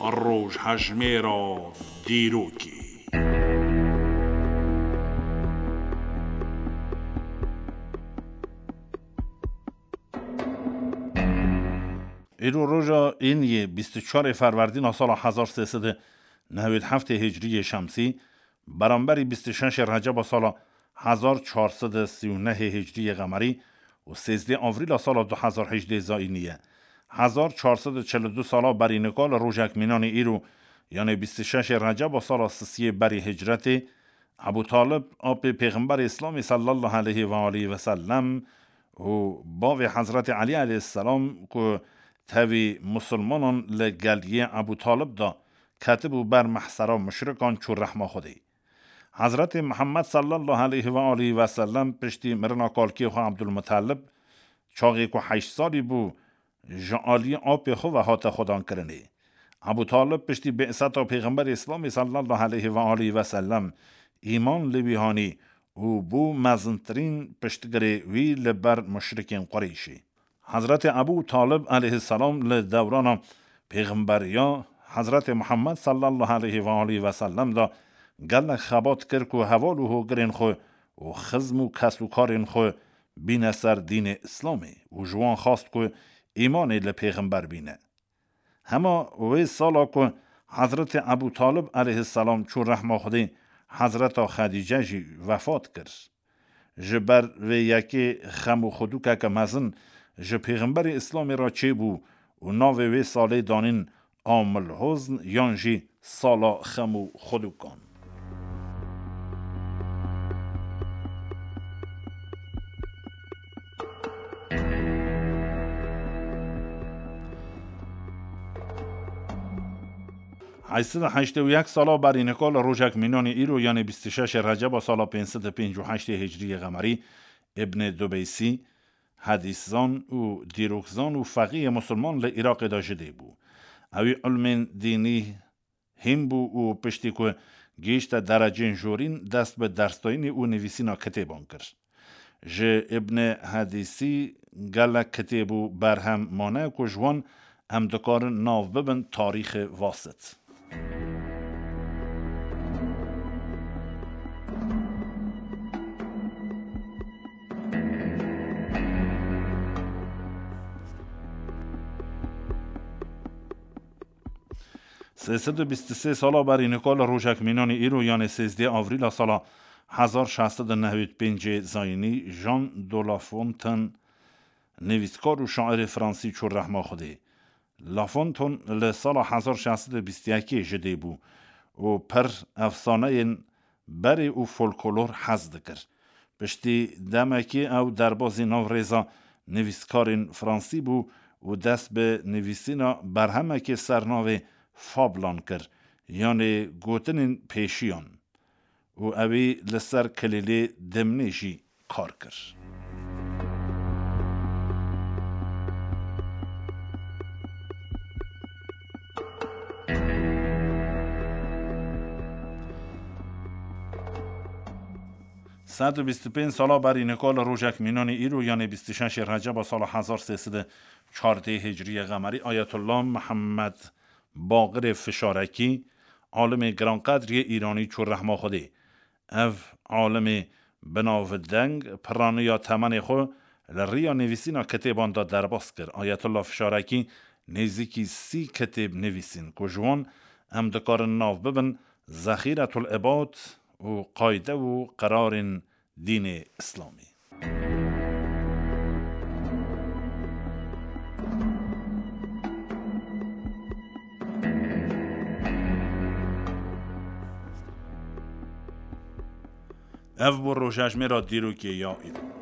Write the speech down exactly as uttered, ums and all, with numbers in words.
Rojhejmêra dîrokê. Îro roja Îniyê bîst û çarê Ferwerdîna sala hezar sê sed û newêd heftê Hicriyê Şemsî, beramberî bîst û şeşê Receba sala hezar çar sed û sî û nehê Hicriyê Qemerî û sêzdê Avrîla sala du hezar hejdê Zayînî ye. Hezar çar sed û çil û du sala berî nika li rojek mînanê îro, yanê bîst û şeşê Receba sala sisiyê berî hicretê, Ebû Talib, apê Pêxemberê Îslamê sallallahu aleyhi ve aleyhi ve sellem û bavê Hezretê Elî aleyhisselam ku tevî musulmanan li geliyê Ebû Talib de ketibû ber mehsera muşrikan çû rehma Xwedê. Hezretê Muhammed sallallahu aleyhi ve aleyhi ve sellem piştî mirina kalkê xwe Ebdulmutalib, çaxê ku heşt salî bû, ji aliyê apê xwe ve hate xwedankirinê. Ebû Talib piştî bê'seta Pêxemberê Îslamê sallallahu aleyhi ve aleyhi ve sellem îman li wî hanî û bû mezintirîn piştgirê wî li ber muşrikên Qureyşê. Hezretê Ebû Talib aleyhisselam li dewrana pêxemberiya Hezretê Muhammed sallallahu aleyhi ve aleyhi ve sellem de gelek xebat kir ku heval û hogirên xwe û xizm û kesûkarên xwe bîne ser dînê Îslamê û ji wan xwest ku îmanê li pêxember bîne. Hema wê sala ku Hezretê Ebû Talib aleyhisselam çû rehma Xwedê, Hezreta Xedîce jî wefat kir. Ji ber vê yekê xem û xwedûkeke mezin ji Pêxemberê Îslamê re çêbû û navê wê salê danîn Amil Hozn yan jî sala xem û xwedûkan. Heşt sed û heştê û yek sala berî nika li rojek mînanê îro, yanê bîst û şeşê Receba sala pênc sed û pêncî û heştê Hicriyê Qemerî, Îbnê Dubeysî, hedîszan û dîrokzan û feqîyê musulman li Iraqê de ji dê bû. Ewî ilmên dînî hîn bû û piştî ku gihîşte derecên jorîn, dest bi dersdayînê û nivîsîna kitêban kir. Ji Îbnê Hedîsî gelek kitêb û berhem mane ku ji wan em dikarin nav bibin tarîxê Vasit. Sê sed û bîst û sê sala berî nika li rojek mînanê îro, yanê sêzdê Avrîla sala hezar şeş sed û newêd pêncê Zayînî, Jean de La Fontaine, nivîskar û şairê fransî çû rehma Xwedê. La Fontaine li sala hezar şeş sed û bîst û yekê ji dê bû û pir efsaneyên berê û folklor hez dikir. Piştî demekê ew derbazî nav rêza nivîskarên fransî bû û dest bi nivîsîna berhemekê ser navê Fablan kir, yanê gotinên pêşiyan, û ewî li ser kilîlê dimnê jî kar kir. Sed û bîst û pênc sala berî nika li rojek mînanê îro, yanê bîst û şeşê Receba sala hezar sê sed û çardê Hicriyê Qemerî, Ayetullah Mihemed Baqirê Fişarekî, alimê giranqedriyê Îranî çû rehma Xwedê. Ev alimê binavdeng piraniya temenê xwe li riya nivîsîna kitêban de derbas kir. Ayetullah Fişarekî nêzîkî sî kitêb nivîsîn ku ji wan em dikarin nav bibin Zexîretul Îbad û Qayde û Qirarên Dînê Îslamî. Ev bû rojhejmêra dîrokê ya îro.